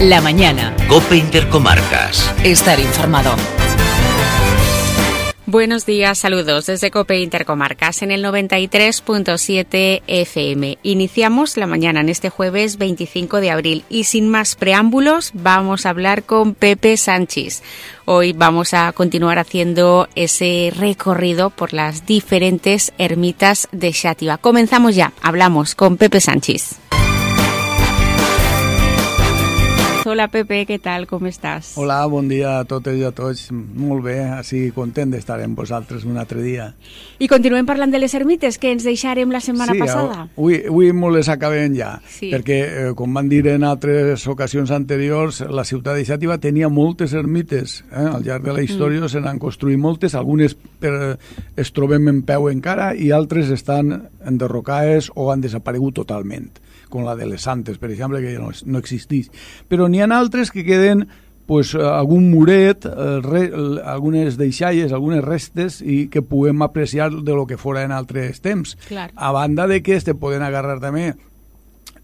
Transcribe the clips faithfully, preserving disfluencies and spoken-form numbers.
La mañana. COPE Intercomarcas. Estar informado. Buenos días, saludos desde COPE Intercomarcas en el noventa y tres punto siete F M. Iniciamos la mañana en este jueves veinticinco de abril y sin más preámbulos vamos a hablar con Pepe Sanchis. Hoy vamos a continuar haciendo ese recorrido por las diferentes ermitas de Xàtiva. Comenzamos ya, hablamos con Pepe Sanchis. Hola Pepe, què tal? Com estàs? Hola, bon dia a totes i a tots. Molt bé, així content d'estar amb vosaltres un altre dia. I continuem parlant de les ermites que ens deixarem la setmana sí, passada. Sí, avui, avui molt les acabem ja, sí. perquè, eh, com van dir en altres ocasions anteriors, la ciutat de Xàtiva tenia moltes ermites. Eh? Al llarg de la història mm. se n'han construït moltes, algunes per, es trobem en peu encara i altres estan enderrocades o han desaparegut totalment, com la de les Santes, per exemple, que no, no existeix. Però n'hi ha altres que queden pues, algun muret, eh, re, algunes deixalles, algunes restes, i que puguem apreciar de lo que fora en altres temps. Clar. A banda de que te poden agarrar també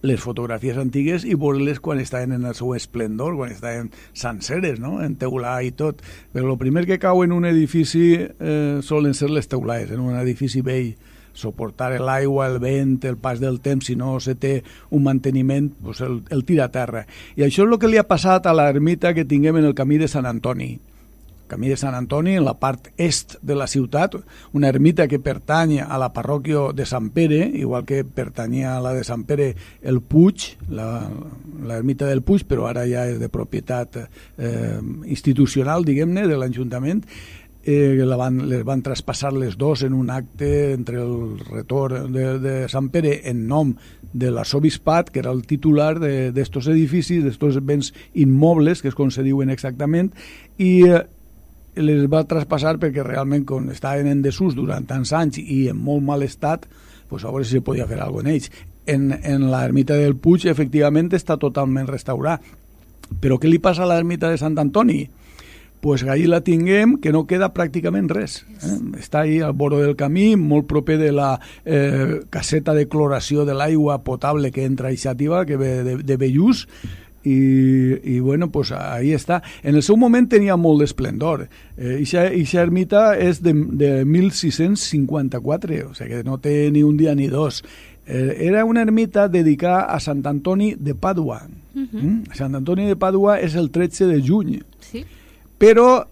les fotografies antigues i veure-les quan estaven en el seu esplendor, quan estaven senceres, no? En teular i tot. Però el primer que cau en un edifici eh, solen ser les teulades, en un edifici vell. Soportar l'aigua, el vent, el pas del temps, si no se té un manteniment, pues el, el tira a terra. I això és el que li ha passat a l'ermita que tinguem en el camí de Sant Antoni. El camí de Sant Antoni, en la part est de la ciutat, una ermita que pertany a la parròquia de Sant Pere, igual que pertanyia a la de Sant Pere el Puig, l'ermita del Puig, però ara ja és de propietat eh, institucional, diguem-ne, de l'Ajuntament. Eh, la van, les van traspassar les dos en un acte entre el retor de, de Sant Pere en nom de l'arsobispat, que era el titular d'estos edificis, d'estos béns immobles, que és com se diuen exactament, i eh, les va traspassar perquè realment, com estaven en desús durant tants anys i en molt mal estat, pues a veure si se podia fer alguna cosa en ells. En, en l'ermita del Puig, efectivament, està totalment restaurada. Però què li passa a l'ermita de Sant Antoni? Pues ahí la tinguem, que no queda pràcticament res. Eh? Està ahí al vora del camí, molt proper de la eh, caseta de cloració de l'aigua potable que entra a Xàtiva, que ve de, de Bellús, i, i bueno, pues ahí està. En el seu moment tenia molt d'esplendor. Eh, Ixa ermita és de, de mil sis-cents cinquanta-quatre, o sigui que no té ni un dia ni dos. Eh, era una ermita dedicada a Sant Antoni de Pàdua. Uh-huh. mm? Sant Antoni de Pàdua és el tretze de juny. Sí. Però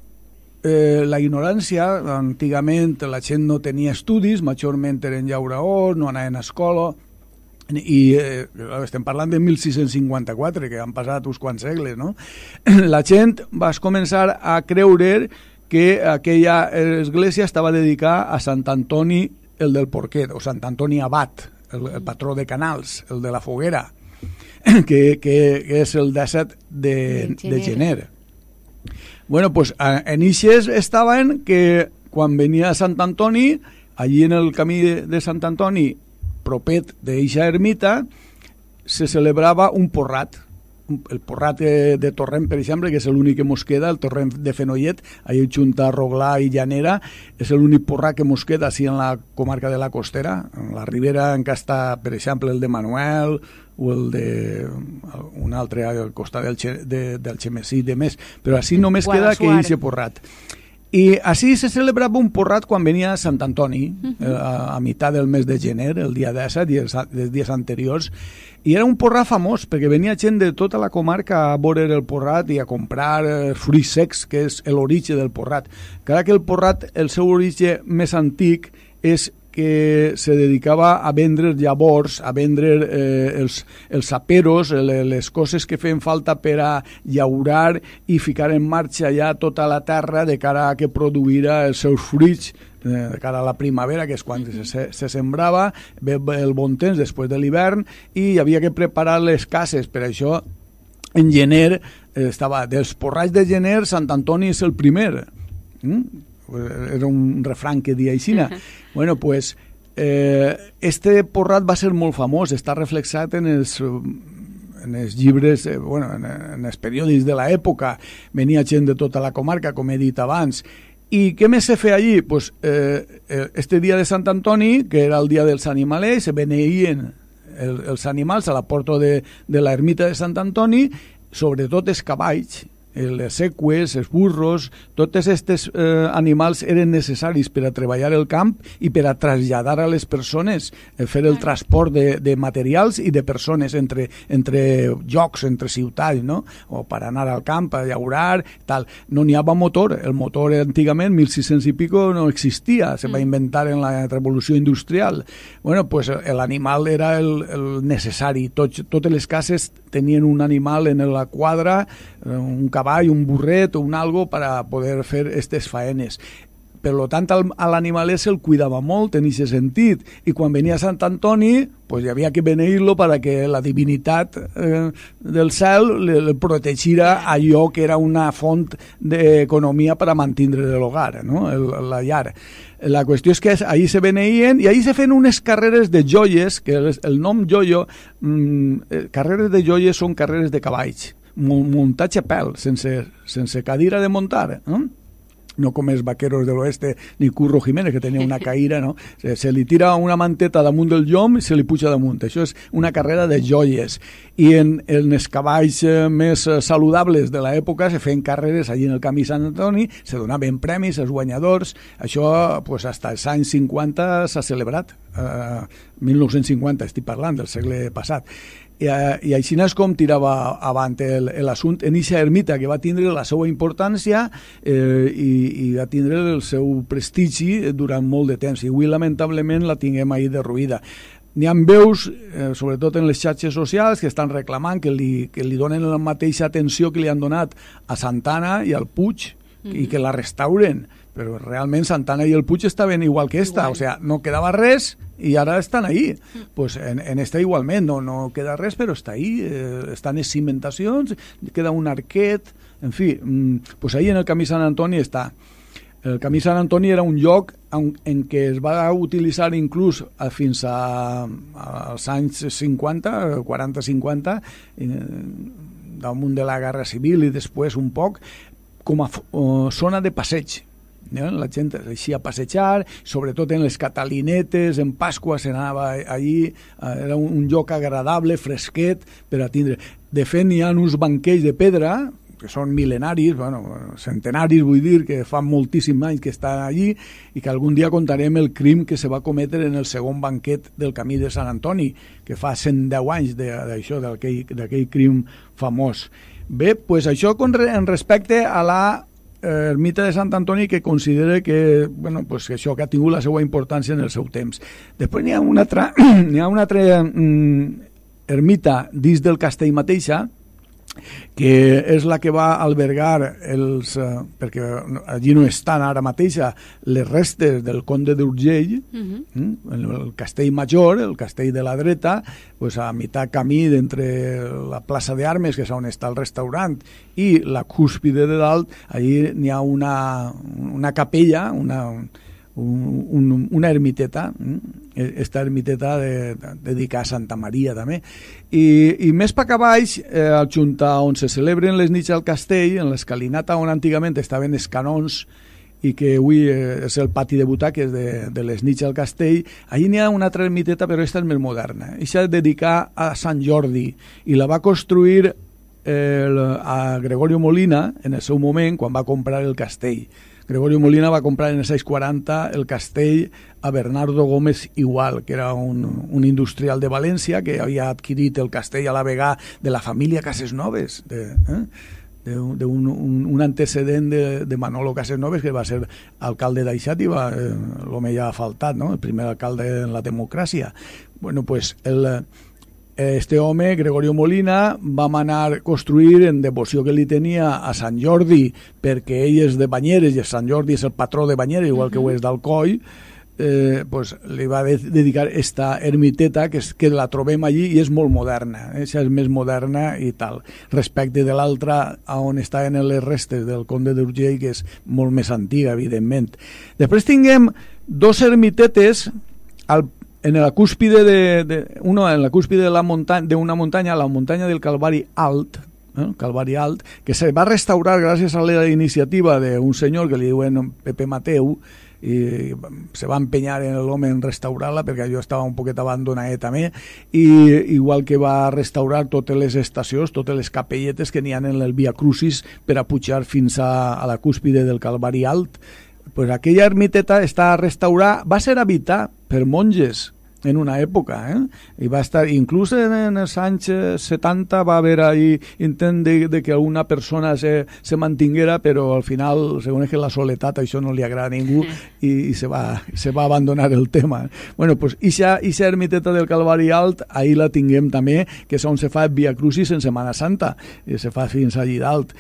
eh, la ignorància, antigament la gent no tenia estudis, majorment eren llauraors, no anaven a escola, i eh, estem parlant de mil sis-cents cinquanta-quatre, que han passat uns quants segles, no? La gent va començar a creure que aquella església estava dedicada a Sant Antoni el del Porquet, o Sant Antoni Abat, el, el patró de Canals, el de la Foguera, que, que, que és el disset de, de gener. Bueno, pues en ixes estaven que quan venia a Sant Antoni, allí en el camí de, de Sant Antoni, propet d'eixa ermita, se celebrava un porrat. El porrat de, de Torrent, per exemple, que és l'únic que mos queda, el Torrent de Fenollet, allà junta Roglà i Llanera, és l'únic porrat que mos queda així en la comarca de la Costera. En la Ribera encara està, per exemple, el de Manuel o el de un altre al costat del, de, del Xemesí i de més, però així només queda que eixe porrat. I així se celebrava un porrat quan venia a Sant Antoni, uh-huh. a, a meitat del mes de gener, el dia disset i els, els dies anteriors, i era un porrat famós, perquè venia gent de tota la comarca a veure el porrat i a comprar eh, fruits secs, que és l'origen del porrat. Encara que el porrat, el seu origen més antic, és que se dedicava a vendre llavors, a vendre eh, els, els aperos, les coses que feien falta per a llaurar i ficar en marxa ja tota la terra de cara a que produïra els seus fruits eh, de cara a la primavera, que és quan se, se sembrava, el bon temps després de l'hivern, i hi havia que preparar les cases. Per això, en gener, eh, estava dels porrats de gener, Sant Antoni és el primer. Mm? Era un refrán que dia aixina. Uh-huh. Bueno, pues eh, este porrat va ser molt famós, està reflexat en els, en els llibres, eh, bueno, en, en els periòdics de l'època. Venia gent de tota la comarca, com he dit abans. I què més se feia allí? Pues, eh, este dia de Sant Antoni, que era el dia dels animalers, se beneïen el, els animals a la porta de, de l'ermita de Sant Antoni, sobretot els cavalls, les seqües, els burros, tots aquests eh, animals eren necessaris per a treballar el camp i per a traslladar a les persones, eh, fer el transport de, de materials i de persones entre, entre llocs, entre ciutats, no? O per anar al camp, a llaurar, tal. No n'hi havia motor. El motor antigament, mil sis-cents i pico, no existia. Se va inventar en la revolució industrial. Bueno, pues l'animal era el, el necessari. Tot, totes les cases tenien un animal en la quadra, un cavall, un burret o un algo para poder fer aquestes faenes. Per tant, a l'animalet se'l cuidava molt en aquest sentit, i quan venia Sant Antoni pues hi havia que beneir-lo perquè la divinitat eh, del cel le, le protegira allò que era una font d'economia per a mantenir l'hogar, no? el, la llar. La qüestió és que ahir se beneïen i ahir se feien unes carreres de joies, que el, el nom joio, mm, carreres de joies són carreres de cavalls, muntatge a pèl, sense, sense cadira de muntar, no? No com els vaqueros de l'oeste ni Curro Jiménez, que tenia una caïra, no? Se, se li tira una manteta damunt del llom i se li puja damunt. Això és una carrera de joies. I en, en els cavalls més saludables de l'època se feien carreres allí en el camí Sant Antoni, se donaven premis als guanyadors. Això, pues, hasta els anys cinquanta s'ha celebrat. Uh, mil nou-cents cinquanta, estic parlant, del segle passat. I, i així és com tirava avant l'assumpte en aquesta ermita, que va tindre la seva importància eh, i, i va tindre el seu prestigi durant molt de temps, i avui lamentablement la tinguem ahir derruïda. N'hi ha veus, eh, sobretot en les xarxes socials, que estan reclamant que li, que li donen la mateixa atenció que li han donat a Santana i al Puig, mm-hmm. i que la restauren, però realment Santana i el Puig estaven igual que esta, igual. O sea, no quedava res i ara estan ahí. Pues en, en esta igualment, no, no queda res, però està ahí, eh, estan les cimentacions, queda un arquet, en fi, mm, pues ahí en el camí Sant Antoni està. El camí Sant Antoni era un lloc en, en què es va utilitzar inclús a, fins a, als anys cinquanta, quaranta cinquanta, eh, damunt de la Guerra Civil i després un poc, com a uh, zona de passeig. La gent eixia a passejar, sobretot en les catalinetes, en Pasqua s'anava allí, era un lloc agradable, fresquet, per a tindre. De fet, n'hi ha uns banquets de pedra, que són mil·lenaris, bueno, centenaris, vull dir, que fa moltíssims anys que estan allí, i que algun dia contarem el crim que se va cometre en el segon banquet del camí de Sant Antoni, que fa cent deu anys d'això, d'aquell crim famós. Bé, doncs això en respecte a la ermita de Sant Antoni, que considera que, bueno, pues que això que ha tingut la seva importància en el seu temps. Després n'hi ha una altra, n'hi ha una altra mm, ermita dins del castell mateixa, que és la que va albergar els, eh, perquè allí no estan ara mateixa les restes del conde d'Urgell, uh-huh. mm, el, el castell major, el castell de la dreta, pues a mitjà camí d'entre la plaça d'Armes, que és on està el restaurant, i la cúspide de dalt, allí n'hi ha una, una capella, una, un, un, una ermiteta, esta ermiteta de, de, dedicada a Santa Maria també, i, i més per cap baix, eh, al junta on se celebren les nits al castell, en l'escalinata on antigament estaven els canons i que avui eh, és el pati de butaques de, de les nits al castell, allí n'hi ha una altra ermiteta, però aquesta és més moderna. Aquesta és dedicada a Sant Jordi i la va construir eh, a Gregorio Molina en el seu moment, quan va comprar el castell. Gregorio Molina va comprar en els anys quaranta el castell a Bernardo Gómez Igual, que era un, un industrial de València que havia adquirit el castell a la vegada de la família Casesnoves, de, eh? d'un un, un antecedent de, de Manolo Casesnoves, que va ser alcalde d'Aixat i va, eh, l'home ja ha faltat, no? El primer alcalde en la democràcia. Bueno, pues el... Este home, Gregorio Molina, va manar construir en devoció que li tenia a Sant Jordi, perquè ell és de Banyeres i Sant Jordi és el patró de Banyeres, igual que ho és d'Alcoi, eh, pues, li va dedicar esta ermiteta que, és, que la trobem allí i és molt moderna, eh? És més moderna i tal, respecte de l'altra on estaven les restes del conde d'Urgell, que és molt més antiga, evidentment. Després tinguem dos ermitetes al en la cúspide de, de uno en la cúspide de la montaña de una montaña, la montaña del Calvari Alt, ¿eh? Calvari Alt, que se va restaurar gràcies a la iniciativa d'un senyor que li diuen Pepe Mateu, i se va empenyar en l'home en restaurar-la perquè allò estava un poquet abandonat també, i igual que va restaurar totes les estacions, totes les capelletes que n'hi ha en el Via Crucis per a pujar fins a, a la cúspide del Calvari Alt. Pues aquella ermiteta està restaurada, va ser habitada per monges en una època, eh? I va estar, inclús en, en els anys setanta va haver ahí intent de, de que alguna persona se, se mantinguera, però al final, segons que la soledat, això no li agrada a ningú i, i se, va, se va abandonar el tema. Bueno, pues ixa, ixa ermiteta del Calvari Alt, ahí la tinguem també, que és on se fa el Via Crucis en Setmana Santa, i se fa fins allí dalt.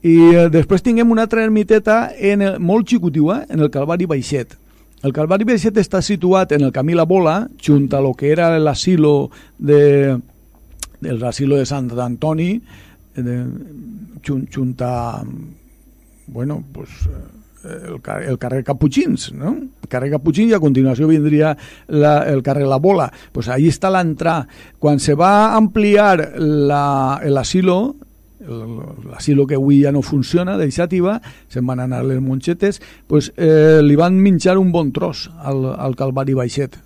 I eh, després tinguem una altra ermiteta en el, molt xicotiua, en el Calvari Baixet. El Calvari Baixet està situat en el camí La Bola, junt a lo que era l'asilo de, l'asilo de Sant Antoni, de, junt, junt a, bueno, pues, el, el carrer Caputxins, no? El carrer Caputxins, i a continuació vindria la, el carrer La Bola. Pues ahí està l'entrada. Quan se va ampliar la, l'asilo, l'asilo que avui ja no funciona, d'Eixàtiva, se'n van anar les monxetes, pues, eh, li van minxar un bon tros al, al Calvari Baixet.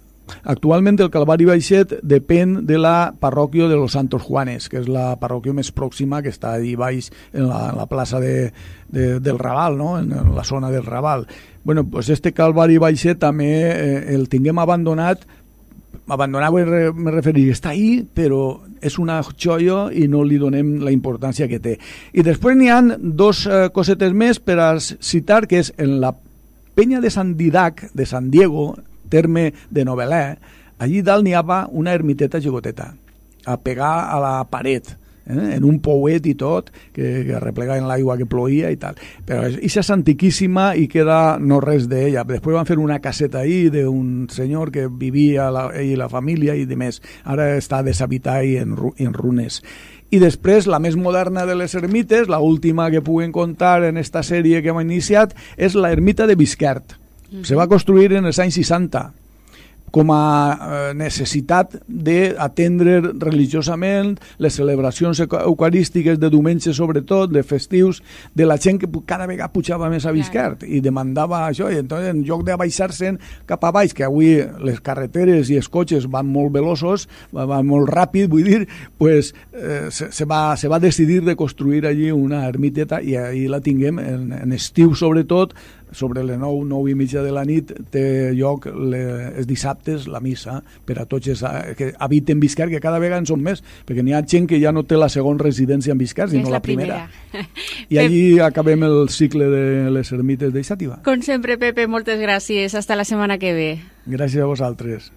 Actualment el Calvari Baixet depèn de la parròquia de los Santos Juanes, que és la parròquia més pròxima, que està allà baix en la, en la plaça de, de, del Raval, no? En la zona del Raval. Bueno, pues este Calvari Baixet també eh, el tinguem abandonat. Abandonat me referir, està ahí, però és una joia i no li donem la importància que té. I després n'hi ha dos eh, cosetes més per a citar, que és en la penya de Sant Didac, de San Diego, terme de Novelè, allí dalt n'hi havia una ermiteta gegoteta, a pegar a la paret, eh? En un pouet i tot, que, que replegaven l'aigua que ploïa i tal. Però això és antiquíssima i queda no res d'ella. Després van fer una caseta ahí d'un senyor que vivia la, ell i la família i de més. Ara està deshabitada i en, en runes. I després, la més moderna de les ermites, la última que puguem contar en esta sèrie que hem iniciat, és la ermita de Bisquert. Mm-hmm. Se va construir en els anys seixanta. Com a eh, necessitat d'atendre religiosament les celebracions eucarístiques de diumenge, sobretot, de festius, de la gent que cada vegada pujava més a Bisquert i demandava això, i entonces, en lloc d'abaixar-se'n cap a baix, que avui les carreteres i els cotxes van molt veloços, van molt ràpid, vull dir, pues, eh, se, se, va, se va decidir de construir allí una ermiteta i ahí la tinguem, en, en estiu sobretot, sobre les nou, nou i mitja de la nit té lloc le, els dissabtes la missa per a tots els que habiten Bisquert, que cada vegada en són més, perquè n'hi ha gent que ja no té la segona residència en Bisquert, sinó la, la primera. primera. I allí acabem el cicle de les ermites d'Eixàtiva. Com sempre, Pepe, moltes gràcies. Hasta la setmana que ve. Gràcies a vosaltres.